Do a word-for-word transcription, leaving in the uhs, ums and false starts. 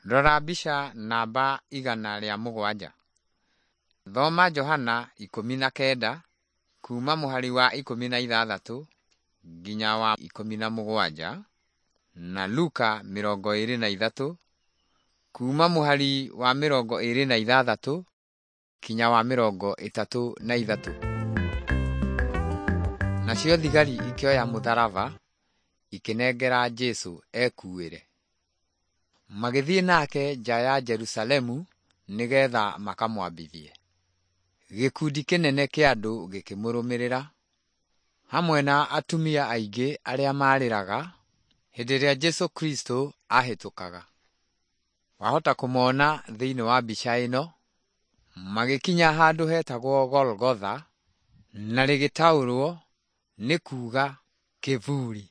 Rora mbica namba igana rĩa mũgwanja. Thoma Johana ikũmi na kenda kuuma mũhari wa ikũmi na ithathatũ nginya wa ikũmi na mũgwanja na Luka mĩrongo ĩĩrĩ na ithatũ kuuma mũhari wa mĩrongo ĩĩrĩ na ithathatũ kinya wa mĩrongo ĩtatũ na ithatũ. Nacio thigari ikĩoya mũtharaba ikĩnengera Jesũ ekuuĩre. Magĩthiĩ nake nja ya Jerusalemu nĩgetha makamwambithie. Gĩkundi kĩnene kĩa andũ gĩkĩmũrũmĩrĩra, hamwe na atumia aingĩ arĩa maarĩraga hĩndĩ ĩrĩa Jesũ Kristo aahĩtũkaga. Wahota kũmona thĩinĩ wa mbica ĩno, magĩkinya handũ hetagwo Golgotha, na rĩgĩtaũrwo nĩ kuuga kĩburi.